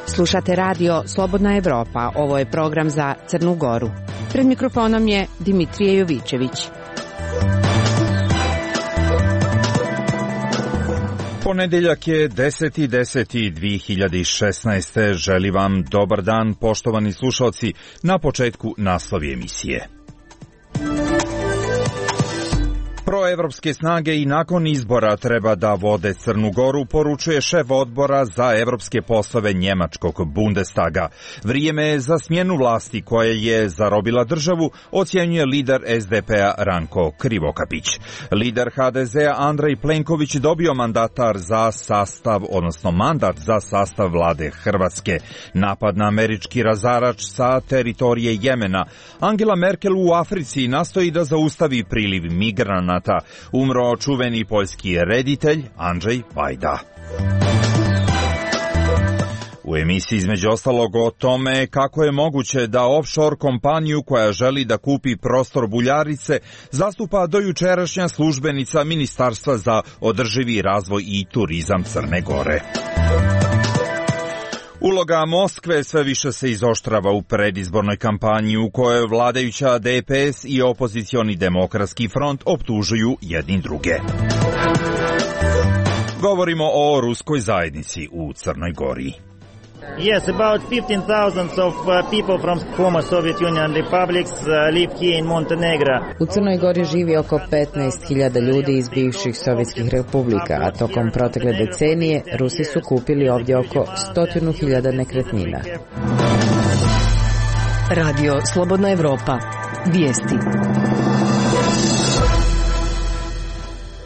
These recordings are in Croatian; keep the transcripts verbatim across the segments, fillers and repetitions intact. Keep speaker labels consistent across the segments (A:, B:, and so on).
A: Slušate radio Slobodna Evropa, ovo je program za Crnu Goru. Pred mikrofonom je Dimitrije Jovićević.
B: Ponedeljak je deseti deseti dve hiljade šesnaeste. Želim vam dobar dan, poštovani slušalci, na početku naslovi emisije. Proevropske snage i nakon izbora treba da vode Crnu Goru, poručuje šef odbora za evropske poslove njemačkog Bundestaga. Vrijeme je za smjenu vlasti koja je zarobila državu, ocjenjuje lider es de pe-a Ranko Krivokapić. Lider ha de ze-a Andrej Plenković dobio mandatar za sastav, odnosno mandat za sastav vlade Hrvatske. Napad na američki razarač sa teritorije Jemena. Angela Merkel u Africi nastoji da zaustavi priliv migranata. Umro čuveni poljski reditelj Andrzej Vajda. U emisiji između ostalog o tome kako je moguće da offshore kompaniju koja želi da kupi prostor Buljarice zastupa dojučerašnja službenica Ministarstva za održivi razvoj i turizam Crne Gore. Uloga Moskve sve više se izoštrava u predizbornoj kampanji u kojoj vladajuća de pe es i opozicioni demokratski front optužuju jedni druge. Govorimo o ruskoj zajednici u Crnoj Gori.
C: Yes, about fifteen thousand of uh, people from former Soviet Union republics uh, live here in Montenegro.
D: U Crnoj Gori živi oko petnaest hiljada ljudi iz bivših sovjetskih republika, a tokom protekle decenije Rusi su kupili ovdje oko stotinu hiljada nekretnina.
A: Radio Slobodna Evropa. Vijesti.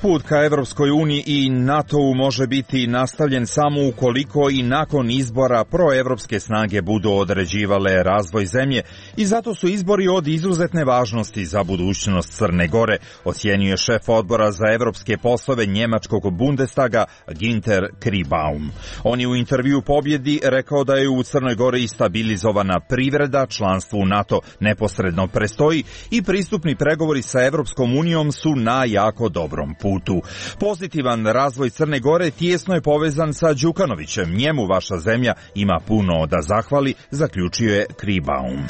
B: Put ka Evropskoj uniji i NATO-u može biti nastavljen samo ukoliko i nakon izbora proevropske snage budu određivale razvoj zemlje i zato su izbori od izuzetne važnosti za budućnost Crne Gore, ocjenjuje šef odbora za evropske poslove njemačkog Bundestaga Ginter Kribaum. On je u intervju Pobjedi rekao da je u Crnoj Gori stabilizovana privreda, članstvo u NATO neposredno prestoji i pristupni pregovori sa Evropskom unijom su na jako dobrom putu. Pozitivan razvoj Crne Gore tijesno je povezan sa Đukanovićem. Njemu vaša zemlja ima puno da zahvali, zaključio je Kribaum.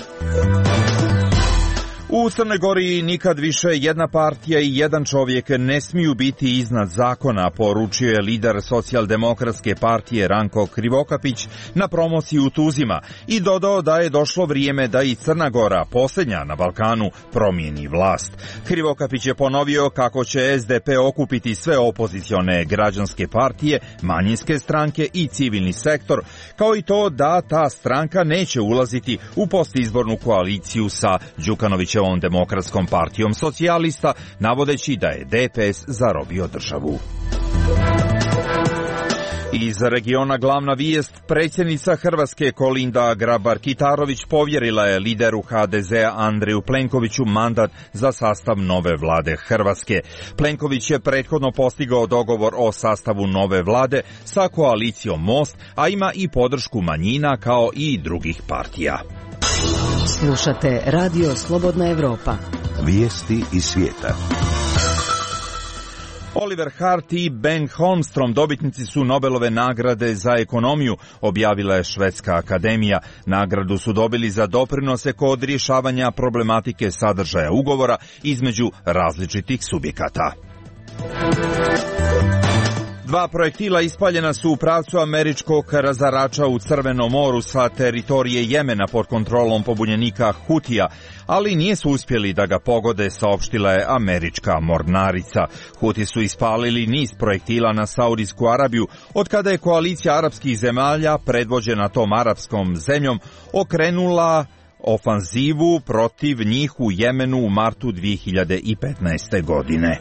B: U Crnoj Gori nikad više jedna partija i jedan čovjek ne smiju biti iznad zakona, poručio je lider socijaldemokratske partije Ranko Krivokapić na promociji u Tuzima i dodao da je došlo vrijeme da i Crna Gora, posljednja na Balkanu, promijeni vlast. Krivokapić je ponovio kako će es de pe okupiti sve opozicione građanske partije, manjinske stranke i civilni sektor, kao i to da ta stranka neće ulaziti u postizbornu koaliciju sa Đukanovićem ovom demokratskom partijom socijalista, navodeći da je de pe es zarobio državu. Iz regiona glavna vijest, predsjednica Hrvatske Kolinda Grabar-Kitarović povjerila je lideru ha de ze-a Andreju Plenkoviću mandat za sastav nove vlade Hrvatske. Plenković je prethodno postigao dogovor o sastavu nove vlade sa koalicijom Most, a ima i podršku manjina kao i drugih partija.
A: Slušate radio Slobodna Evropa.
E: Vijesti iz svijeta.
B: Oliver Hart i Ben Holmstrom dobitnici su Nobelove nagrade za ekonomiju, objavila je Švedska akademija. Nagradu su dobili za doprinose kod rješavanja problematike sadržaja ugovora između različitih subjekata. Dva projektila ispaljena su u pravcu američkog razarača u Crvenom moru sa teritorije Jemena pod kontrolom pobunjenika Hutija, ali nisu uspjeli da ga pogode, saopštila je američka mornarica. Huti su ispalili niz projektila na Saudijsku Arabiju, od kada je koalicija arapskih zemalja, predvođena tom arapskom zemljom, okrenula ofanzivu protiv njih u Jemenu u martu dve hiljade petnaeste. godine.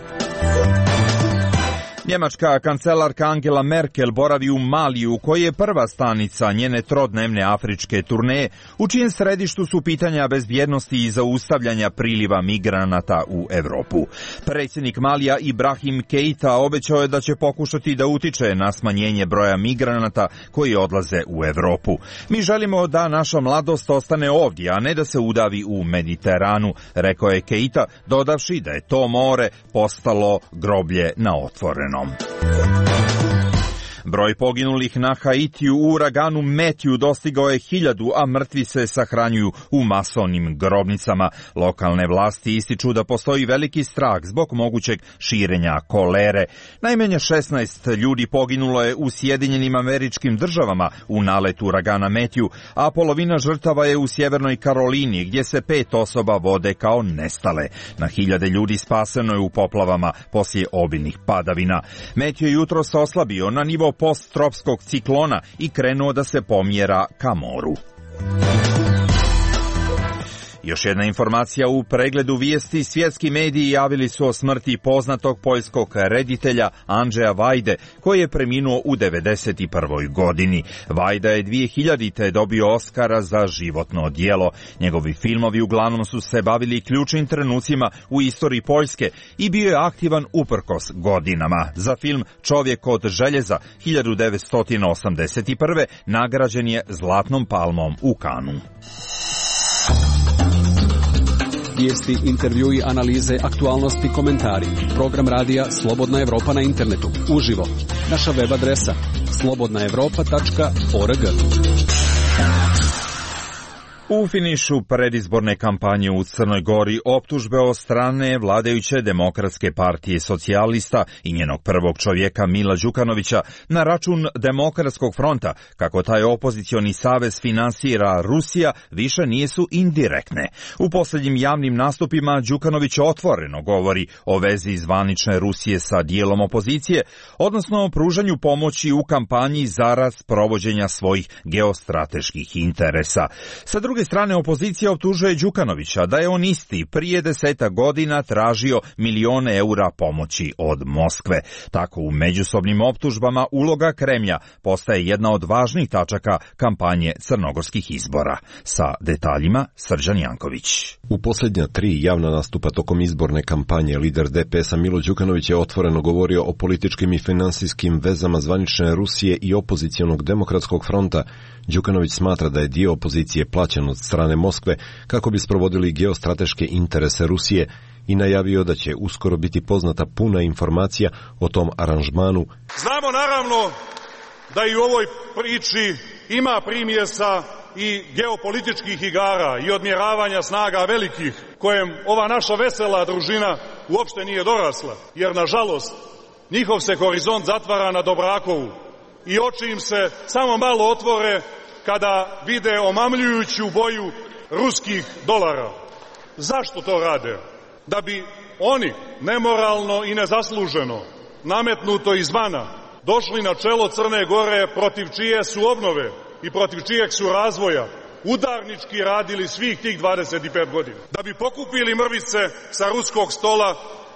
B: Njemačka kancelarka Angela Merkel boravi u Maliju, koji je prva stanica njene trodnevne afričke turneje, u čijem središtu su pitanja bezbjednosti i zaustavljanja priliva migranata u Europu. Predsjednik Malija Ibrahim Keita obećao je da će pokušati da utiče na smanjenje broja migranata koji odlaze u Europu. Mi želimo da naša mladost ostane ovdje, a ne da se udavi u Mediteranu, rekao je Keita, dodavši da je to more postalo groblje na otvorenom. Broj poginulih na Haitiju u uraganu Metju dostigao je hiljadu, a mrtvi se sahranjuju u masovnim grobnicama. Lokalne vlasti ističu da postoji veliki strah zbog mogućeg širenja kolere. Najmanje šesnaest ljudi poginulo je u Sjedinjenim Američkim Državama u naletu uragana Metju, a polovina žrtava je u Sjevernoj Karolini, gdje se pet osoba vode kao nestale. Na hiljade ljudi spaseno je u poplavama poslije obilnih padavina. Metju je jutros oslabio na nivo posttropskog ciklona i krenuo da se pomjera ka moru. Još jedna informacija u pregledu vijesti. Svjetski mediji javili su o smrti poznatog poljskog reditelja Andrzeja Vajde, koji je preminuo u devedeset prvoj godini. Vajda je dvije hiljadite dobio Oskara za životno djelo. Njegovi filmovi uglavnom su se bavili ključnim trenucima u istoriji Poljske i bio je aktivan uprkos godinama. Za film Čovjek od željeza hiljadu devetsto osamdeset prve nagrađen je Zlatnom palmom u Kanu.
F: Vijesti, intervjui, analize, aktualnosti, komentari. Program radija Slobodna Evropa na internetu. Uživo. Naša web adresa slobodna evropa tačka org.
B: U finišu predizborne kampanje u Crnoj Gori optužbe od strane vladajuće Demokratske partije socijalista i njenog prvog čovjeka Mila Đukanovića na račun Demokratskog fronta, kako taj opozicioni savez finansira Rusija, više nisu indirektne. U posljednjim javnim nastupima Đukanović otvoreno govori o vezi zvanične Rusije sa dijelom opozicije, odnosno o pružanju pomoći u kampanji zarad provođenja svojih geostrateških interesa. Sa druge S druge strane, opozicija optužuje Đukanovića da je on isti prije deseta godina tražio milijone eura pomoći od Moskve. Tako u međusobnim optužbama uloga Kremlja postaje jedna od važnih tačaka kampanje crnogorskih izbora. Sa detaljima Srđan Janković.
G: U posljednja tri javna nastupa tokom izborne kampanje lider D P S-a Milo Đukanović je otvoreno govorio o političkim i finansijskim vezama zvanične Rusije i opozicionog Demokratskog fronta. Đukanović smatra da je dio opozicije plaćen od strane Moskve kako bi sprovodili geostrateške interese Rusije i najavio da će uskoro biti poznata puna informacija o tom aranžmanu.
H: Znamo naravno da i u ovoj priči ima primjesa i geopolitičkih igara i odmjeravanja snaga velikih, kojem ova naša vesela družina uopšte nije dorasla, jer nažalost njihov se horizont zatvara na Dobrakovu i oči im se samo malo otvore kada vide omamljujuću boju ruskih dolara. Zašto to rade? Da bi oni nemoralno i nezasluženo, nametnuto izvana, došli na čelo Crne Gore, protiv čije su obnove i protiv čijeg su razvoja udarnički radili svih tih dvadeset pet godina. Da bi pokupili mrvice sa ruskog stola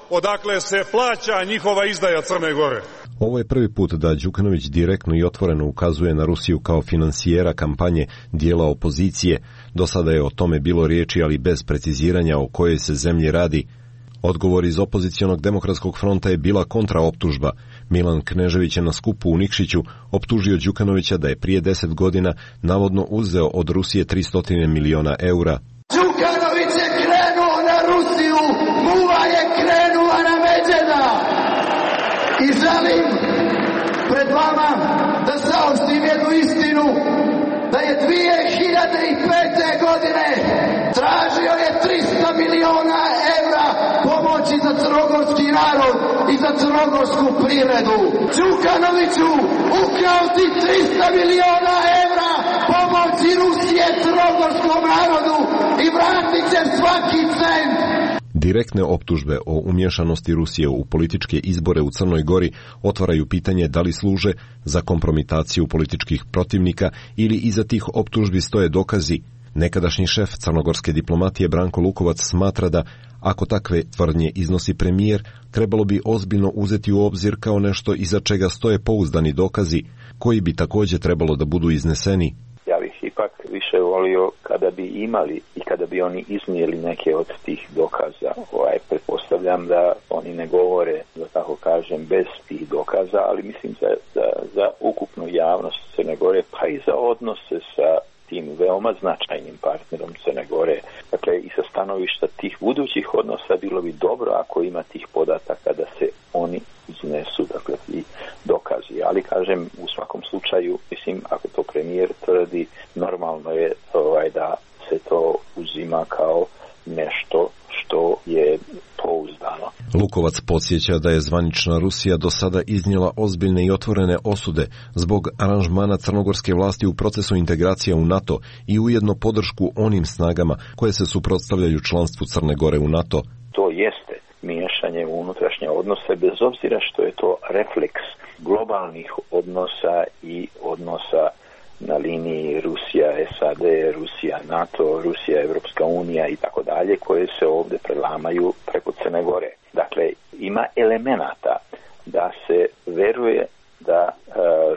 H: odakle se plaća njihova izdaja Crne Gore.
G: Ovo je prvi put da Đukanović direktno i otvoreno ukazuje na Rusiju kao finansijera kampanje dijela opozicije. Do sada je o tome bilo riječi, ali bez preciziranja o kojoj se zemlji radi. Odgovor iz opozicionog Demokratskog fronta je bila kontraoptužba. Milan Knežević je na skupu u Nikšiću optužio Đukanovića da je prije deset godina navodno uzeo od Rusije tristo miliona eura.
I: Đukanović je krenuo na Rusiju, muva je krenula na Međena. I želim pred vama da saopštim jednu istinu, da je dvije hiljade pete. godine tražio je tristo miliona evra pomoći za crnogorski narod i za crnogorsku privredu. Đukanoviću, ukrao ti tristo miliona evra pomoći Rusije crnogorskom narodu i vratit će svaki cent.
G: Direktne optužbe o umješanosti Rusije u političke izbore u Crnoj Gori otvaraju pitanje da li služe za kompromitaciju političkih protivnika ili iza tih optužbi stoje dokazi. Nekadašnji šef crnogorske diplomatije Branko Lukovac smatra da Ako takve tvrdnje iznosi premijer, trebalo bi ozbiljno uzeti u obzir kao nešto iza čega stoje pouzdani dokazi, koji bi također trebalo da budu izneseni.
J: Ja bih ipak više volio kada bi imali i kada bi oni iznijeli neke od tih dokaza. Ovaj, pretpostavljam da oni ne govore, da tako kažem, bez tih dokaza, ali mislim za, za, za ukupnu javnost Crne Gore, pa i za odnose sa tim veoma značajnim partnerom Crne Gore. Dakle, i sa stanovišta tih budućih odnosa bilo bi dobro ako ima tih podataka da se oni iznesu, dakle, i dokazi. Ali, kažem, u svakom slučaju, mislim, ako to premijer tvrdi, normalno je ovaj, da se to uzima kao nešto što je pouzdano.
G: Lukovac podsjeća da je zvanična Rusija do sada iznijela ozbiljne i otvorene osude zbog aranžmana crnogorske vlasti u procesu integracija u NATO i ujedno podršku onim snagama koje se suprotstavljaju članstvu Crne Gore u NATO.
J: To jeste miješanje u unutrašnje odnose, bez obzira što je to refleks globalnih odnosa i odnosa na liniji Rusija, S A D, Rusija, NATO, Rusija, Evropska unija i tako dalje, koje se ovdje prelamaju preko Crne Gore. Dakle, ima elemenata da se veruje da e,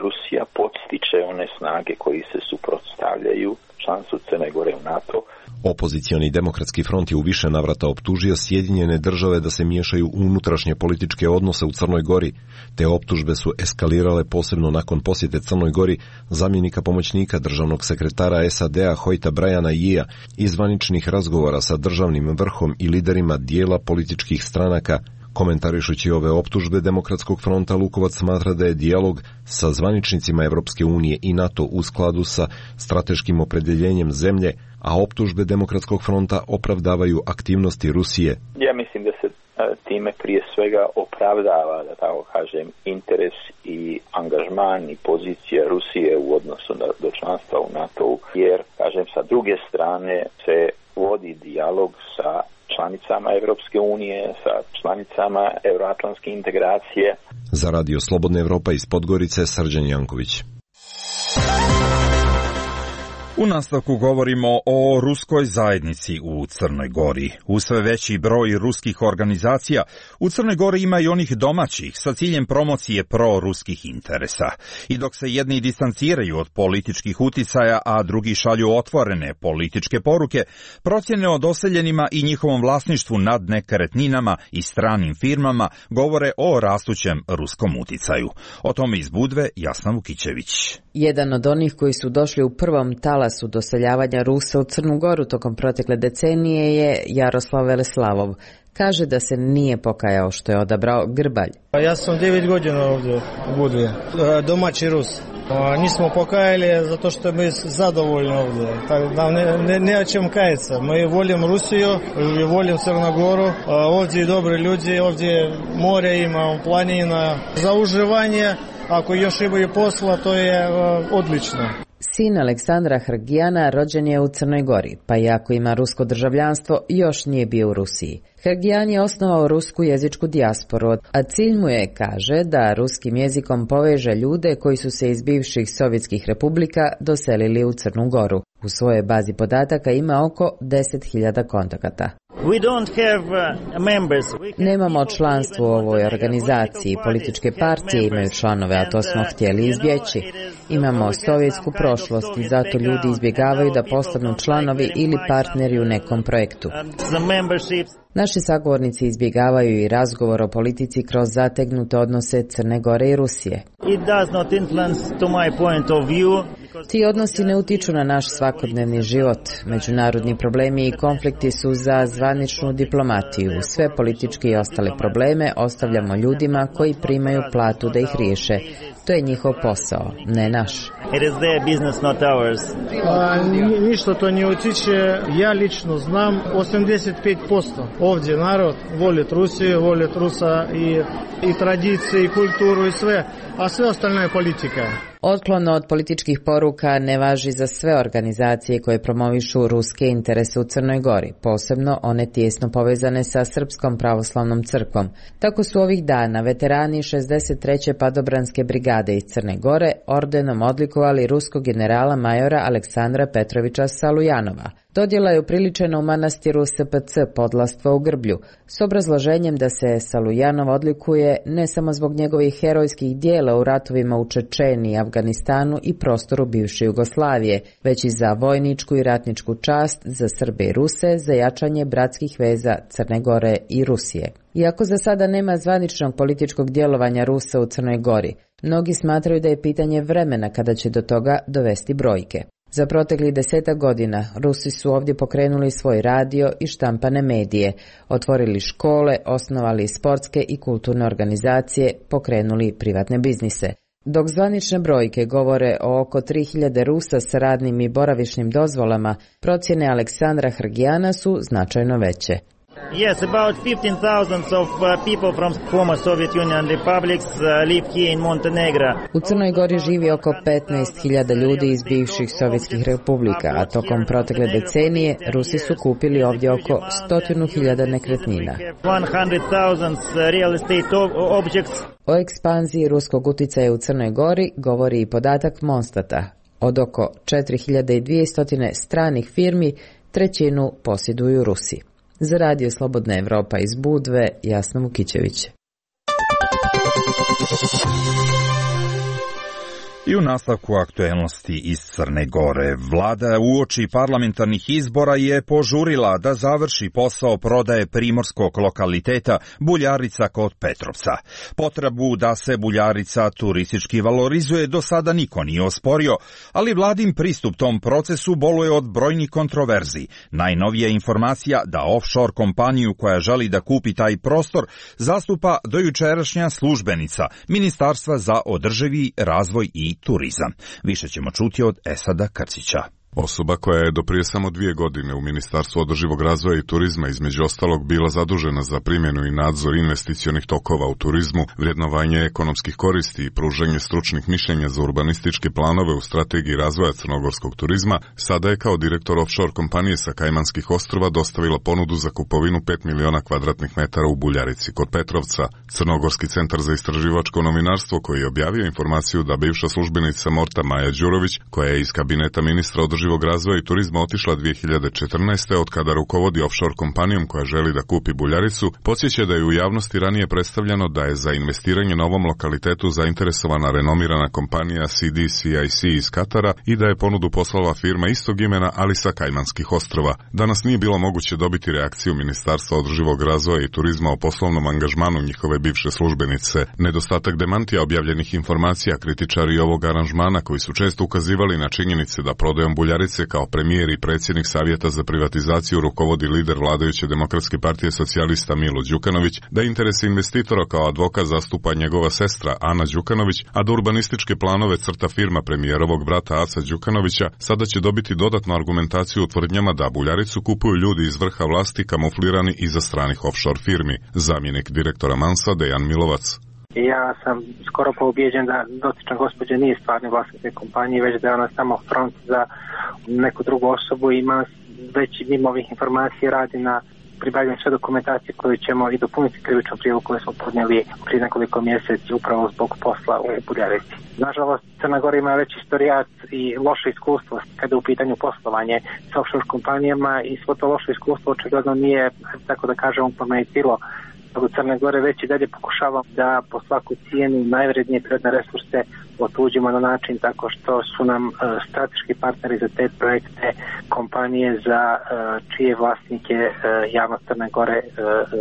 J: Rusija podstiče one snage koji se suprotstavljaju članstvu Crne Gore u NATO.
G: Opozicioni demokratski front je u više navrata optužio Sjedinjene države da se miješaju u unutrašnje političke odnose u Crnoj Gori. Te optužbe su eskalirale posebno nakon posjete Crnoj Gori zamjenika pomoćnika državnog sekretara S A D-a Hojta Brajana Jija i zvaničnih razgovora sa državnim vrhom i liderima dijela političkih stranaka. Komentarišući ove optužbe Demokratskog fronta, Lukovac smatra da je dijalog sa zvaničnicima Evropske unije i NATO u skladu sa strateškim opredjeljenjem zemlje, a optužbe Demokratskog fronta opravdavaju aktivnosti Rusije.
J: Ja mislim da se time prije svega opravdava, da tako kažem, interes i angažman i pozicija Rusije u odnosu do članstva u NATO-u, jer, kažem, sa druge strane se vodi dijalog sa članicama Evropske unije, sa članicama euroatlantske integracije.
G: Za Radio Slobodna Evropa iz Podgorice, Srđan Janković.
B: U nastavku govorimo o ruskoj zajednici u Crnoj Gori. U sve veći broj ruskih organizacija u Crnoj Gori ima i onih domaćih sa ciljem promocije pro-ruskih interesa. I dok se jedni distanciraju od političkih uticaja, a drugi šalju otvorene političke poruke, procjene o doseljenima i njihovom vlasništvu nad nekretninama i stranim firmama govore o rastućem ruskom uticaju. O tome iz Budve Jasna Vukićević.
D: Jedan od onih koji su došli u prvom talasu doseljavanja Rusa u Crnu Goru tokom protekle decenije je Jaroslav Veleslavov. Kaže da se nije pokajao što je odabrao Grbalj.
K: Ja sam devet godina ovdje u Budvi, domaći Rus. Nismo pokajali zato što mi zadovoljni ovdje. Tako da ne, ne, ne o čem kajati. Mi volim Rusiju, volim Crnu Goru. Ovdje je dobri ljudi, ovdje more ima, planina. Za uživanje, ako još imaju posla, to je odlično.
D: Sin Aleksandra Hrgijana rođen je u Crnoj Gori, pa iako ima rusko državljanstvo, još nije bio u Rusiji. Hrgijan je osnovao rusku jezičku dijasporu, a cilj mu je, kaže, da ruskim jezikom poveže ljude koji su se iz bivših sovjetskih republika doselili u Crnu Goru. U svojoj bazi podataka ima oko deset hiljada kontakata.
K: Nemamo
D: članstvo u ovoj organizaciji. Političke partije imaju članove, a to smo htjeli izbjeći. Imamo sovjetsku prošlost i zato ljudi izbjegavaju da postanu članovi ili partneri u nekom projektu. Naši sagovornici izbjegavaju i razgovor o politici kroz zategnute odnose Crne Gore i Rusije. Ti odnosi ne utiču na naš svakodnevni život. Međunarodni problemi i konflikti su za zvaničnu diplomatiju. Sve političke i ostale probleme ostavljamo ljudima koji primaju platu da ih riješe. To je njihov posao, ne naš.
K: A, ništa to ne utiče. Ja lično znam osamdeset pet posto. Ovdje narod voli Rusiju, voli Rusa i, i tradicije, i kulturu i sve. A sve ostalo je politika.
D: Otklon od političkih poruka ne važi za sve organizacije koje promovišu ruske interese u Crnoj Gori, posebno one tijesno povezane sa Srpskom pravoslavnom crkvom. Tako su ovih dana veterani šezdeset treće padobranske brigade iz Crne Gore ordenom odlikovali ruskog generala majora Aleksandra Petrovića Salujanova. Dodjela je upriličena u manastiru S P C Podlastva u Grblju, s obrazloženjem da se Salujanov odlikuje ne samo zbog njegovih herojskih dijela u ratovima u Čečeniji, Afganistanu i prostoru bivše Jugoslavije, već i za vojničku i ratničku čast za Srbe i Ruse, za jačanje bratskih veza Crne Gore i Rusije. Iako za sada nema zvaničnog političkog djelovanja Rusa u Crnoj Gori, mnogi smatraju da je pitanje vremena kada će do toga dovesti brojke. Za proteklih desetak godina Rusi su ovdje pokrenuli svoj radio i štampane medije, otvorili škole, osnovali sportske i kulturne organizacije, pokrenuli privatne biznise. Dok zvanične brojke govore o oko tri hiljade Rusa s radnim i boravišnim dozvolama, procjene Aleksandra Hrgijana su značajno veće.
C: Yes, about fifteen thousand of uh, people from former Soviet Union republics uh, live here in Montenegro.
D: U Crnoj Gori živi oko petnaest hiljada ljudi iz bivših sovjetskih republika, a tokom protekle decenije Rusi su kupili ovdje oko stotinu hiljada nekretnina.
C: one hundred thousand real estate objects.
D: O ekspanziji ruskog utjecaja u Crnoj Gori govori i podatak Monstata. Od oko četiri hiljade dvjesto stranih firmi trećinu posjeduju Rusi. Za radio Slobodna Evropa iz Budve, Jasna Vukićević.
B: I u nastavku aktuelnosti iz Crne Gore, vlada uoči parlamentarnih izbora je požurila da završi posao prodaje primorskog lokaliteta Buljarica kod Petrovca. Potrebu da se Buljarica turistički valorizuje do sada niko nije osporio, ali vladin pristup tom procesu boluje od brojnih kontroverzi. Najnovija informacija da offshore kompaniju koja želi da kupi taj prostor zastupa dojučerašnja službenica Ministarstva za održivi razvoj i turizam. Više ćemo čuti od Esada Krcića.
L: Osoba koja je do prije samo dvije godine u Ministarstvu održivog razvoja i turizma između ostalog bila zadužena za primjenu i nadzor investicionih tokova u turizmu, vrednovanje ekonomskih koristi i pružanje stručnih mišljenja za urbanističke planove u strategiji razvoja crnogorskog turizma, sada je kao direktor offshore kompanije sa Kajmanskih ostrva dostavila ponudu za kupovinu pet miliona kvadratnih metara u Buljarici kod Petrovca. Crnogorski centar za istraživačko novinarstvo koji je objavio informaciju da bivša službenica Morta Maja Đurović, koja je iz kabineta ministra održivog razvoja i turizma otišla dvije hiljade četrnaeste od kada rukovodi offshore kompanijom koja želi da kupi Buljaricu, podsjeća da je u javnosti ranije predstavljeno da je za investiranje na ovom lokalitetu zainteresovana renomirana kompanija C D C I C iz Katara i da je ponudu poslala firma istog imena, ali sa Kajmanskih ostrva. Danas nije bilo moguće dobiti reakciju Ministarstva održivog razvoja i turizma o poslovnom angažmanu njihove bivše službenice. Nedostatak demantija objavljenih informacija kritičari ovog aranžmana koji su često ukazivali na činjenice da prodajom Buljarice kao premijer i predsjednik Savjeta za privatizaciju rukovodi lider vladajuće Demokratske partije socijalista Milo Đukanović, da interese investitora kao advokat zastupa njegova sestra Ana Đukanović, a da urbanističke planove crta firma premijerovog brata Aca Đukanovića, sada će dobiti dodatnu argumentaciju u tvrdnjama da Buljaricu kupuju ljudi iz vrha vlasti kamuflirani iza stranih offshore firmi. Zamjenik direktora Mansa Dejan Milovac.
M: Ja sam skoro pa ubijeđen da dotična gospođa nije stvarni vlasnik te kompanije, već da je ona samo front za neku drugu osobu i ima već mimo ovih informacija radi na pribavljanju sve dokumentacije koju ćemo i dopuniti krivičnu prijavu koju smo podnijeli prije nekoliko mjeseci upravo zbog posla u Buljarici. Nažalost, Crna Gora ima već istorijat i loše iskustvo kada je u pitanju poslovanje sa offshore kompanijama i svo to loše iskustvo očigledno nije, tako da kažem, pomenitilo u Crne Gore, već i dalje pokušavam da po svaku cijenu najvrednije prirodne resurse otuđimo na način tako što su nam uh, strateški partneri za te projekte kompanije za uh, čije vlasnike uh, javnost Crne Gore uh,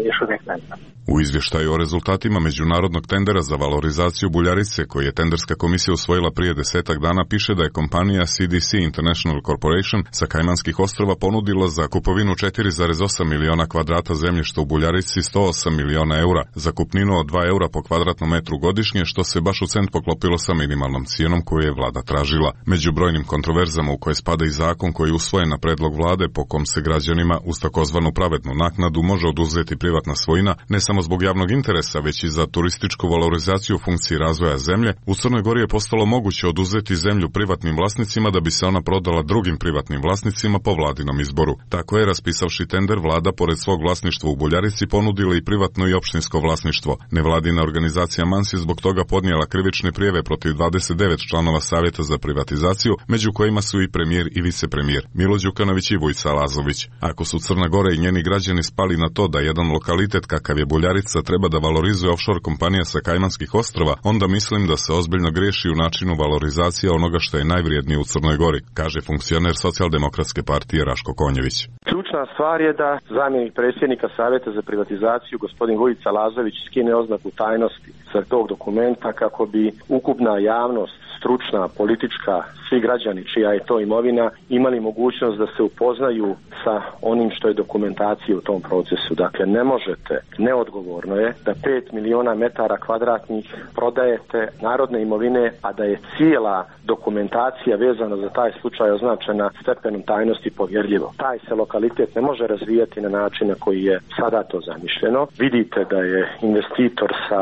M: još uvijek ne zna.
L: U izvještaju o rezultatima međunarodnog tendera za valorizaciju Buljarice, koji je tenderska komisija usvojila prije desetak dana, piše da je kompanija C D C International Corporation sa Kajmanskih ostrva ponudila za kupovinu četiri zarez osam miliona kvadrata zemljišta u Buljarici sto osam miliona eura, za kupninu od dva eura po kvadratnom metru godišnje, što se baš u cent poklopilo sa minimalnom cijenom koju je vlada tražila. Među brojnim kontroverzama u koje spada i zakon koji je usvojen na predlog vlade po kom se građanima uz takozvanu pravednu naknadu može oduzeti privatna svojina, ne samo zbog javnog interesa, već i za turističku valorizaciju funkciji razvoja zemlje, u Crnoj Gori je postalo moguće oduzeti zemlju privatnim vlasnicima da bi se ona prodala drugim privatnim vlasnicima po vladinom izboru. Tako je, raspisavši tender, vlada pored svog vlasništva u Buljarici ponudila i privatno i opštinsko vlasništvo. Nevladina organizacija Mans je zbog toga podnijela krivične prijave protiv izabrali dvadeset devet članova Savjeta za privatizaciju, među kojima su i premijer i vicepremijer Milo Đukanović i Vujica Lazović. Ako su Crna Gora i njeni građani spali na to da jedan lokalitet kakav je Buljarica treba da valorizuje offshore kompanija sa Kajmanskih ostrva, onda mislim da se ozbiljno greši u načinu valorizacije onoga što je najvrijednije u Crnoj Gori, kaže funkcioner Socijaldemokratske partije Raško Konjević.
N: Ključna stvar je da zamjenik predsjednika Savjeta za privatizaciju gospodin Vujica Lazović skine oznaku tajnosti sa tog dokumenta kako bi ukupna javnost, stručna, politička, svi građani čija je to imovina imali mogućnost da se upoznaju sa onim što je dokumentacija u tom procesu. Dakle, ne možete, neodgovorno je da pet miliona metara kvadratnih prodajete narodne imovine, a da je cijela dokumentacija vezana za taj slučaj označena stepenom tajnosti povjerljivo. Taj se lokalitet ne može razvijati na način na koji je sada to zamišljeno. Vidite da je investitor sa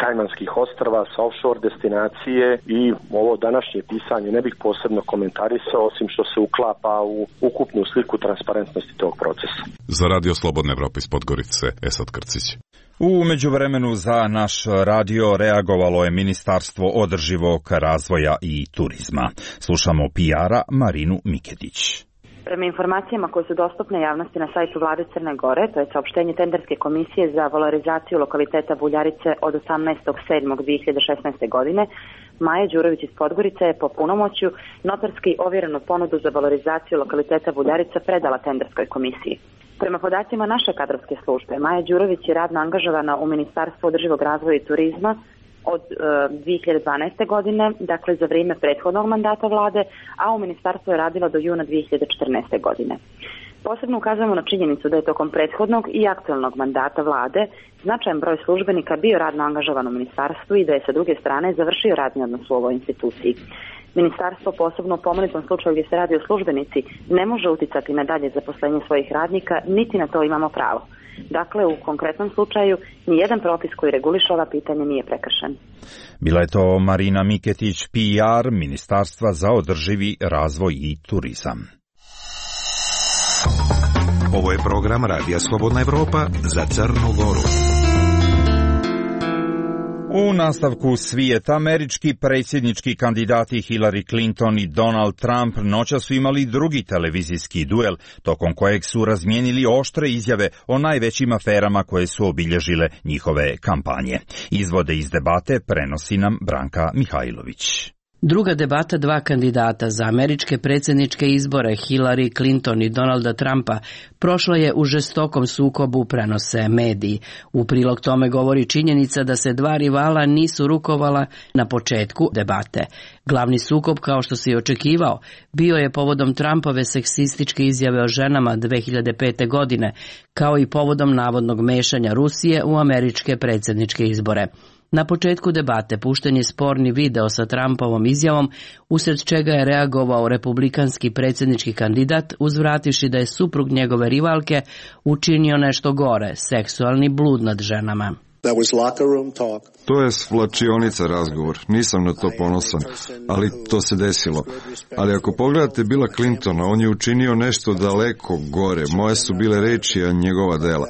N: Kajmanskih ostrva, sa offshore destinacije i ovo današnje pisanje ne bih posebno komentarisao, osim što se uklapa u ukupnu sliku transparentnosti tog procesa.
L: Za Radio Slobodna Evropa iz Podgorice, Esad Krcić.
B: U međuvremenu za naš radio reagovalo je Ministarstvo održivog razvoja i turizma. Slušamo P R-a Marinu Miketić.
O: Prema informacijama koje su dostupne javnosti na sajtu Vlade Crne Gore, to je saopštenje tenderske komisije za valorizaciju lokaliteta Buljarice od osamnaestog sedmog dve hiljade šesnaeste. godine, Maja Đurović iz Podgorice je po punomoćju notarski ovjerenu ponudu za valorizaciju lokaliteta Buljarica predala tenderskoj komisiji. Prema podacima naše kadrovske službe, Maja Đurović je radno angažovana u Ministarstvu održivog razvoja i turizma od e, dve hiljade dvanaeste. godine, dakle za vrijeme prethodnog mandata vlade, a u ministarstvu je radila do juna dve hiljade četrnaeste. godine. Posebno ukazujemo na činjenicu da je tokom prethodnog i aktualnog mandata vlade značajan broj službenika bio radno angažovan u ministarstvu i da je sa druge strane završio radni odnos u ovoj instituciji. Ministarstvo, posebno u pomenutom slučaju gdje se radi o službenici, ne može uticati na dalje zaposlenje svojih radnika, niti na to imamo pravo. Dakle, u konkretnom slučaju, nijedan propis koji reguliše ova pitanja nije prekršen.
B: Bila je to Marina Miketić, P R Ministarstva za održivi razvoj i turizam.
E: Ovo je program Radija Slobodna Evropa za Crnu Goru.
B: U nastavku svijeta, američki predsjednički kandidati Hillary Clinton i Donald Trump noćas su imali drugi televizijski duel, tokom kojeg su razmijenili oštre izjave o najvećim aferama koje su obilježile njihove kampanje. Izvode iz debate prenosi nam Branka Mihajlović.
P: Druga debata dva kandidata za američke predsjedničke izbore, Hillary Clinton i Donalda Trumpa, prošla je u žestokom sukobu, prenose mediji. U prilog tome govori činjenica da se dva rivala nisu rukovala na početku debate. Glavni sukob, kao što se i očekivao, bio je povodom Trumpove seksističke izjave o ženama dve hiljade pete. godine, kao i povodom navodnog mešanja Rusije u američke predsjedničke izbore. Na početku debate pušten je sporni video sa Trumpovom izjavom, usred čega je reagovao republikanski predsjednički kandidat, uzvrativši da je suprug njegove rivalke učinio nešto gore, seksualni blud nad ženama.
Q: To je svlačionica razgovor, nisam na to ponosan, ali to se desilo. Ali ako pogledate Billa Clintona, on je učinio nešto daleko gore, moje su bile reči, a njegova dela.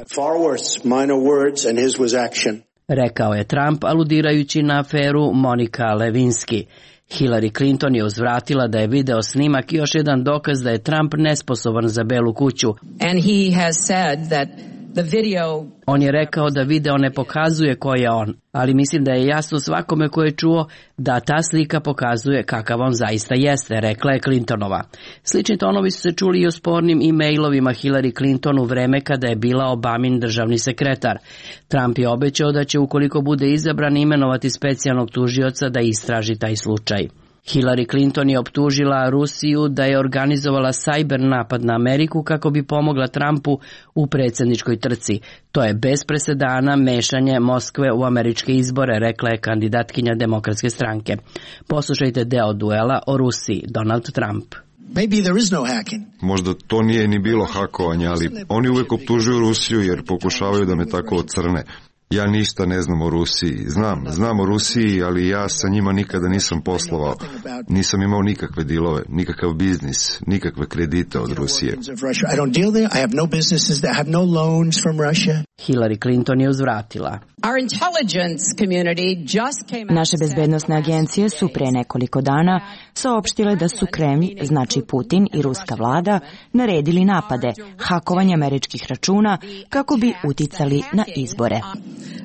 P: Rekao je Trump, aludirajući na aferu Monika Lewinsky. Hillary Clinton je uzvratila da je video snimak još jedan dokaz da je Trump nesposoban za Belu kuću.
R: And he has said that the video...
P: On je rekao da video ne pokazuje ko je on, ali mislim da je jasno svakome ko je čuo da ta slika pokazuje kakav on zaista jeste, rekla je Clintonova. Slični tonovi su se čuli i o spornim e-mailovima Hillary Clinton u vreme kada je bila Obamin državni sekretar. Trump je obećao da će, ukoliko bude izabran, imenovati specijalnog tužioca da istraži taj slučaj. Hillary Clinton je optužila Rusiju da je organizovala sajber napad na Ameriku kako bi pomogla Trumpu u predsjedničkoj trci. To je bez presedana mešanje Moskve u američke izbore, rekla je kandidatkinja Demokratske stranke. Poslušajte deo duela o Rusiji, Donald Trump.
Q: Maybe there is no hacking. Možda to nije ni bilo hakovanja, ali oni uvijek optužuju Rusiju jer pokušavaju da me tako ocrne. Ja ništa ne znam o Rusiji. Znam, znam o Rusiji, ali ja sa njima nikada nisam poslovao. Nisam imao nikakve dilove, nikakav biznis, nikakve kredite od Rusije.
P: Hillary Clinton je uzvratila.
S: Naše bezbednosne agencije su pre nekoliko dana saopštile da su Kremlj, znači Putin i ruska vlada, naredili napade, hakovanje američkih računa kako bi uticali na izbore.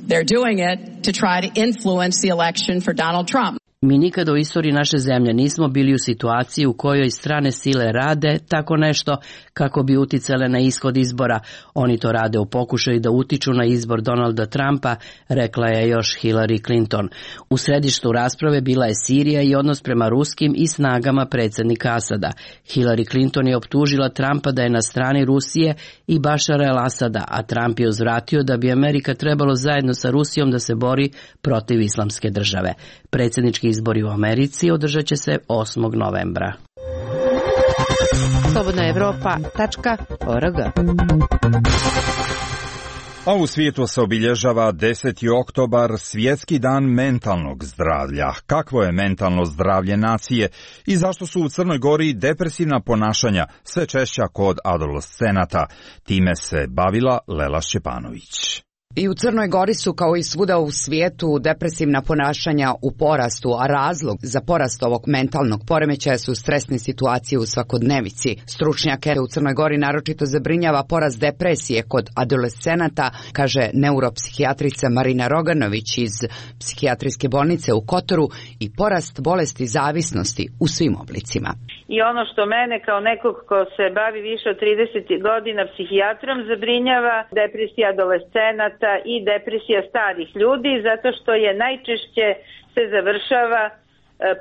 R: They're doing it to try to influence the election for Donald Trump.
P: Mi nikada u istoriji naše zemlje nismo bili u situaciji u kojoj strane sile rade tako nešto kako bi uticale na ishod izbora. Oni to rade u pokušaju da utiču na izbor Donalda Trumpa, rekla je još Hillary Clinton. U središtu rasprave bila je Sirija i odnos prema ruskim i snagama predsjednika Asada. Hillary Clinton je optužila Trumpa da je na strani Rusije i Bašara el-Asada, a Trump je uzvratio da bi Amerika trebalo zajedno sa Rusijom da se bori protiv islamske države. Predsjednički izbori u Americi održat će se osmog novembra.
A: slobodna evropa tačka org.
B: A u svijetu se obilježava deseti oktobar, Svjetski dan mentalnog zdravlja. Kakvo je mentalno zdravlje nacije i zašto su u Crnoj Gori depresivna ponašanja sve češća kod adolescenata? Time se bavila Lela Šćepanović.
T: I u Crnoj Gori su, kao i svuda u svijetu, depresivna ponašanja u porastu, a razlog za porast ovog mentalnog poremećaja su stresne situacije u svakodnevici. Stručnjake u Crnoj Gori naročito zabrinjava porast depresije kod adolescenata, kaže neuropsihijatrica Marina Roganović iz psihijatrijske bolnice u Kotoru, i porast bolesti zavisnosti u svim oblicima.
U: I ono što mene kao nekog ko se bavi više od trideset godina psihijatrom zabrinjava, depresija adolescenata i depresija starih ljudi, zato što je najčešće se završava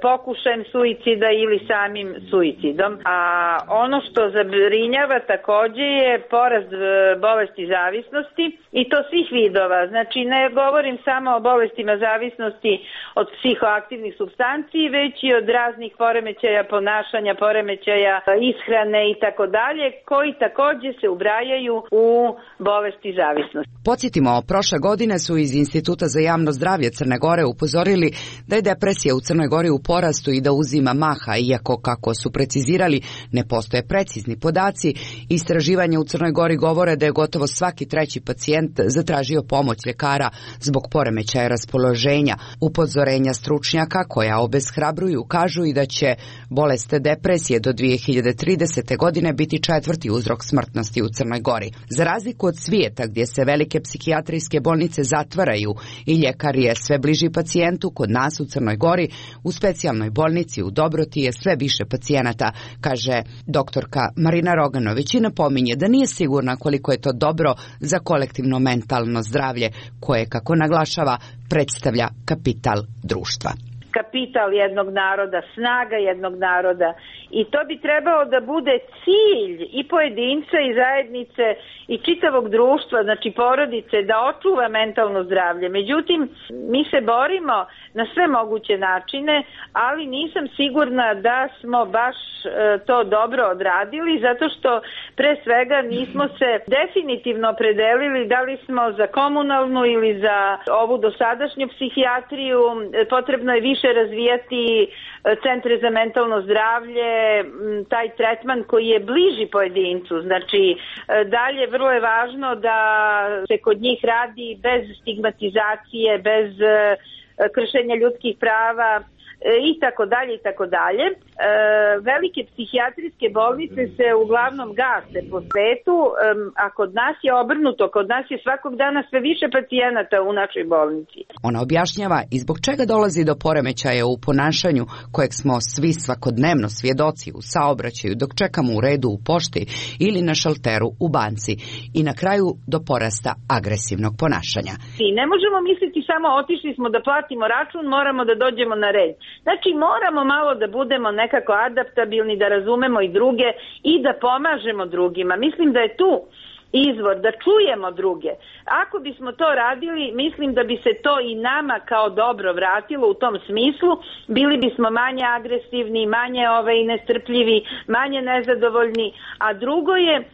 U: pokušajem suicida ili samim suicidom. A ono što zabrinjava također je porast bolesti zavisnosti i to svih vidova. Znači ne govorim samo o bolestima zavisnosti od psihoaktivnih supstanci, već i od raznih poremećaja ponašanja, poremećaja ishrane i tako dalje, koji također se ubrajaju u bolesti zavisnosti.
T: Podsjetimo, prošle godine su iz Instituta za javno zdravlje Crne Gore upozorili da je depresija u Crnoj Gori u porastu i da uzima maha, iako, kako su precizirali, ne postoje precizni podaci. Istraživanja u Crnoj Gori govore da je gotovo svaki treći pacijent zatražio pomoć ljekara zbog poremećaja raspoloženja. Upozorenja stručnjaka koja obeshrabruju kažu i da će bolest depresije do dvije hiljade tridesete. godine biti četvrti uzrok smrtnosti u Crnoj Gori. Za razliku od svijeta gdje se velike psihijatrijske bolnice zatvaraju i ljekar je sve bliži pacijentu, kod nas u Crnoj Gori u specijalnoj bolnici u Dobroti je sve više pacijenata, kaže doktorka Marina Roganović, i napominje da nije sigurna koliko je to dobro za kolektivno mentalno zdravlje koje, kako naglašava, predstavlja kapital društva.
U: Kapital jednog naroda, snaga jednog naroda, i to bi trebalo da bude cilj i pojedinca i zajednice i čitavog društva, znači porodice, da očuva mentalno zdravlje. Međutim, mi se borimo na sve moguće načine, ali nisam sigurna da smo baš e, to dobro odradili, zato što pre svega nismo se definitivno opredelili da li smo za komunalnu ili za ovu dosadašnju psihijatriju. Potrebno je više razvijati centre za mentalno zdravlje, taj tretman koji je bliži pojedincu. Znači, dalje vrlo je važno da se kod njih radi bez stigmatizacije, bez kršenja ljudskih prava i tako dalje i tako dalje. E, velike psihijatrijske bolnice se uglavnom gase po svetu, e, a kod nas je obrnuto, kod nas je svakog dana sve više pacijenata u našoj bolnici.
T: Ona objašnjava i zbog čega dolazi do poremećaja u ponašanju kojeg smo svi svakodnevno svjedoci u saobraćaju dok čekamo u redu u pošti ili na šalteru u banci, i na kraju do porasta agresivnog ponašanja.
U: I ne možemo misliti samo otišli smo da platimo račun, moramo da dođemo na red. Znači moramo malo da budemo nekako adaptabilni, da razumemo i druge i da pomažemo drugima. Mislim da je tu izvor, da čujemo druge. Ako bismo to radili, mislim da bi se to i nama kao dobro vratilo u tom smislu. Bili bismo manje agresivni, manje ovaj, nestrpljivi, manje nezadovoljni. A drugo je e,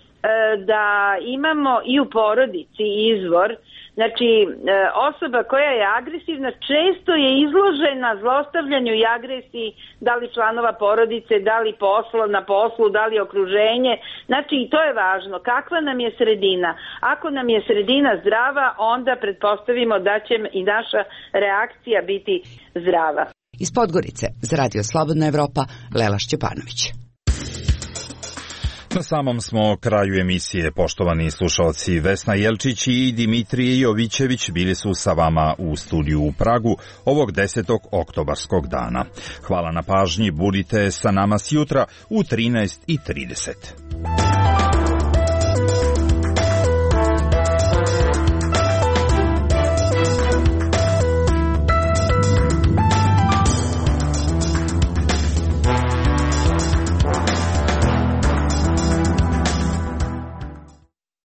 U: da imamo i u porodici izvor Znači, osoba koja je agresivna često je izložena zlostavljanju i agresiji, da li članova porodice, da li posla na poslu, da li okruženje. Znači, i to je važno. Kakva nam je sredina? Ako nam je sredina zdrava, onda pretpostavimo da će i naša reakcija biti zdrava.
T: Iz Podgorice, za Radio Slobodna Evropa, Lela Šćepanović.
B: Na samom smo kraju emisije, poštovani slušalci. Vesna Jelčić i Dimitrije Jovićević bili su sa vama u studiju u Pragu ovog desetog oktobarskog dana. Hvala na pažnji, budite sa nama sjutra u trinaest i trideset.